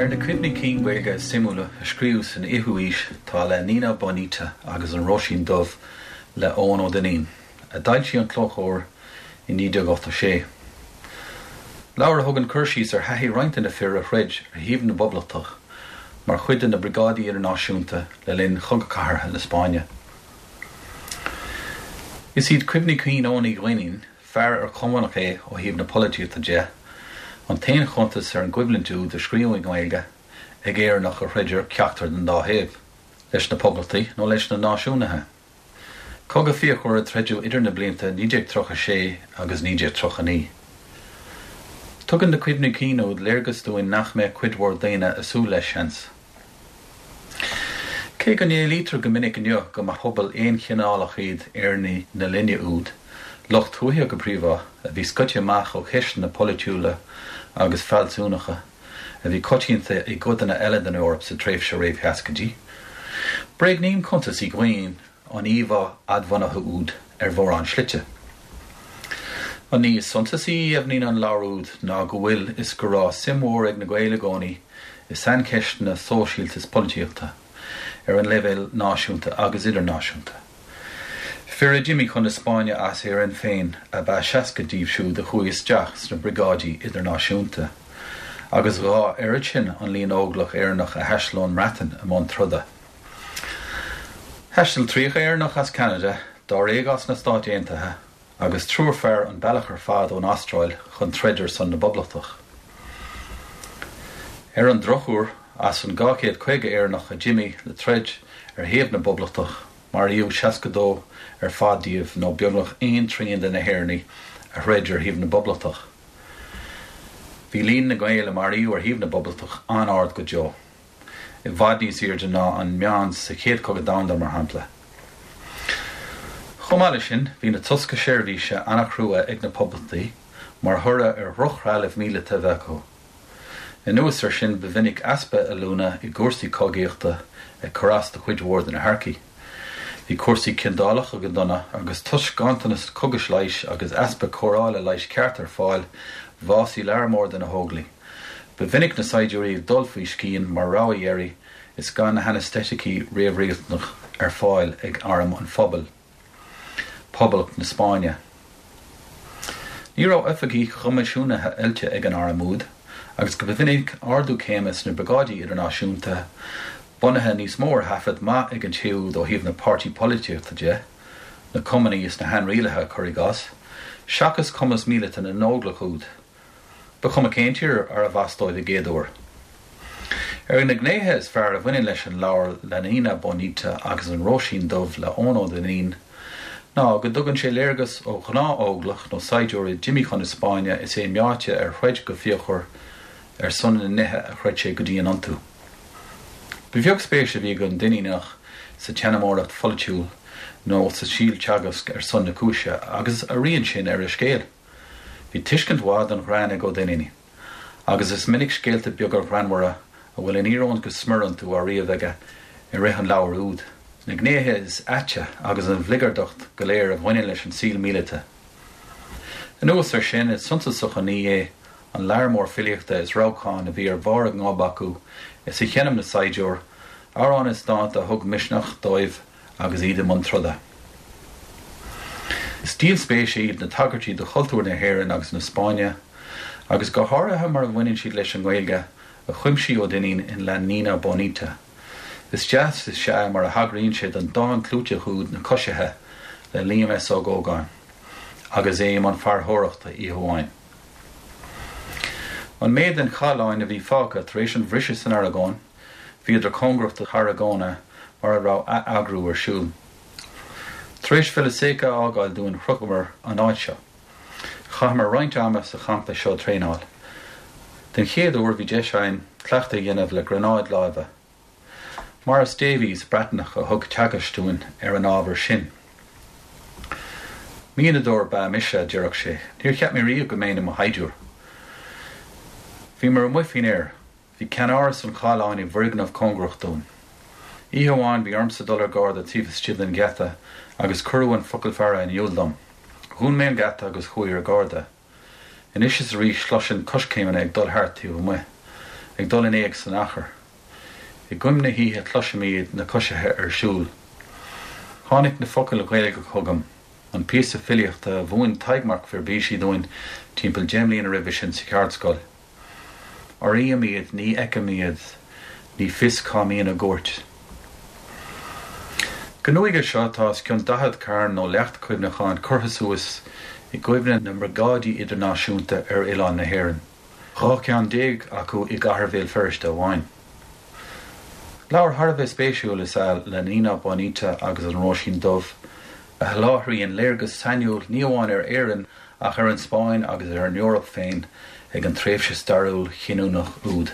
Ar na cuimhní cinn Gaeilge is suimiúla a scríobhadh san fhichiú haois tá La Nina Bonita agus An Róisín Dubh le Eoin Ó Duinnín, a d'fhoilsigh an Clóchomhar i 1986. Leabhar a thugann cur síos ar thaithí roinnt de na fir a throid ar thaobh na bPoblachtach mar chuid de na Briogáidí Idirnáisiúnta le linn Chogadh Cathartha na Spáinne. Is iad cuimhní cinn Eoin Uí Dhuinnín, fear ar Chumannach é ó thaobh na polaitíochta de, an t-aon chuntas ar an gcoimhlint úd a scríobhadh i nGaeilge ag Éireannach a throid ar cheachtar den dá thaobh, leis na Poblachtaigh nó leis na Náisiúnaithe. Cogadh fíochmhar a troideadh idir na blianta 1936 agus 1939. Tugann na cuimhní cinn úd léargas dúinn nach mbeadh cuid mhór daoine ag súil leis, seans. Cé go n-éilítear go minic inniu go mba phobal aonchineálach iad Éireannaigh na linne úd, lucht tuaithe go príomha, a bhí scoite amach ó cheisteanna polaitiúla agus fealsúnacha a bhí coitianta i gcodanna eile den Eoraip sa tréimhse réamh-sheascaidí, bréagnaíonn cuntas Uí Dhuinn an íomhá fhadbhunaithe úd ar mhórán slite. An ní is suntasaí a dheimhníonn an leabhar úd ná go bhfuil is go raibh suim mhór ag na Gaeil i gcónaí i saincheisteanna sóisialta is polaitíochta, ar an leibhéal náisiúnta agus idirnáisiúnta. Fir a d'imigh chun na Spáinne as Éirinn féin ab ea 60 díobh siúd a chuaigh isteach sna Briogáidí Idirnáisiúnta, agus a dhá oiread sin an líon óglach Éireannach a thaistil ón mBreatain i mbun troda. Thaistil 30 Éireannach as Ceanada, dáréag as na Stáit Aontaithe agus triúr fear an bealach ar fad ón Astráil chun troid ar son na bPoblachtach. Ar an drochuair, as an 250 Éireannach a d'imigh le troid ar thaobh na bPoblachtach, maraíodh 62 ar fad díobh nó beagnach aon trian de na hÉireannaigh a throid ar thaobh na bPoblachtach. Bhí líon na nGael a maraíodh ar thaobh na bPoblachtach an-ard go deo. i bhfad níos airde ná an meán sa Chéad Chogadh Domhanda, mar shampla. Chomh maith leis sin, bhí na tosca seirbhíse an-chrua ag na Poblachtaigh mar thoradh ar dhrochthrealamh míleata a bheith acu. Anuas air sin, ba mhinic easpa oiliúna i gcúrsaí cogaíochta ag cur as do chuid mhór de na hearcaigh. Bhí cúrsaí ciondálacha go dona agus toisc ganntanas cógais leighis agus easpa cóireála leighis ceart ar fáil, bhásaigh lear mór de na hóglaigh. Ba mhinic na saighdiúirí ag dul faoi scian mar rogha dheiridh is gan na hainesteiticí réamhriachtanach ar fáil ag Arm an Phobail, Poblacht na Spáinne. Ní raibh oifigigh choimisiúnaithe oilte ag an arm úd agus go minic ardú céime sna Briogáidí Idirnáisiúnta bunaithe níos mó ar thaifead maith ag an té úd ó thaobh na páirtí polaitíochta de, na Cumannaigh is na hAinrialaithe, cuir i gcás, seachas cumas míleata na n-óglach úd. Ba chuma cén tír arbh as dóibh i gcéaduair. Ar na gnéithe is fearr a bhaineann leis an leabhar La Nina Bonita agus an Róisín Dubh le Eoin Ó Duinnín ná go dtugann sé léargas ó ghnáth-óglach nó saighdiúir a d'imigh chun na Spáinne is é meáite ar throid go fíochmhar ar son na nithe a chreid sé go dian iontu. Ba bheag spéis a bhí ag an Duinníneach sa tseanmóireacht pholaitiúil nó sa síolteagasc ar son na cúise agus a rian sin ar a scéal. Bhí tuiscint mhaith don ghreann ag Ó Duinnín, agus is minic scéalta beaga greannmhara a bhfuil an íoróin go smior iontu á ríomh aige i rith an leabhair úd, na gnéithe is aite agus an bhligeardacht go léir a bhaineann leis an saol míleata. Anuas air sin, is suntasach an ní é an lear mór filíochta is rabhcáin a bhí ar bharr a ngob acu is a sheinm na saighdiúir, amhráin is dánta a thug misneach dóibh agus iad i mbun troda. Is díol spéise iad na tagairtí do chultúr na hÉireann agus na Spáinne, agus go háirithe mar a bhaineann siad leis an nGaeilge, a chuimsigh Ó Duinnín in La Nina Bonita. Is deas is ea mar a thagraíonn sé don dán clúiteach úd Na Coisithe le Liam S. Ó Gógáin agus é i mbun farantóireachta oíche amháin. An méid den chathlán a bhí fágtha tar éis an bhriseadh san Aragóin, Bhíodar cóngarach do Tharragona mar a raibh ath-eagrú ar siúl. Tar éis Vilaseca a fhágáil dúinn shroicheamar an áit seo. Chaitheamar roinnt ama sa champa seo ag traenáil. Den chéad uair bhí deis againn cleachtadh a dhéanamh le gránáid láimhe. Maurice Davies, Breatnach, a thug teagaisc dúinn ar an ábhar sin. Mianadóir ba ea mise, a deireadh sé, níor cheap mé riamh go mbeinn i mo shaighdiúir. Bhíomar amuigh faoin aer. Bhí ceannáras an chathláin i bhfoirgneamh cóngarach dúinn. Oíche amháin bhí ormsa dul ar garda taobh istigh den gheata agus cuireadh an focal faire in iúl dom. Dhún mé an geata agus chuaigh ar garda. Anois is arís chloisinn coiscéimeanna ag dul thart taobh amuigh. Ag dul in éag san achar. I gcoim na hoíche cloisim iad, na coisithe ar siúl. Tháinig na focail Ghaeilge chugam, an píosa filíochta a mhúin Tadhg Mac Fhirbhisigh dúinn timpeall 10 mbliana roimhe sin sa cheardscoil. Airím iad, ní fheicim iad, ní fios cá mbíonn a gcuairt. Go nuige seo tá os cionn 40 carn nó leacht cuimhneacháin curtha suas i gcuimhne na mBriogáidí Idirnáisiúnta ar oileán na hÉireann, 12 ceann acu i gcathair Bhéal Feirste amháin. Leabhar thar a bheith spéisiúil is ea La Nina Bonita agus an Róisín Dubh, a sholáthraíonn léargas sainiúil ní amháin ar Éirinn ach ar an Spáinn agus ar an Eoraip féin ag an tréimhse stairiúil chinniúnach úd.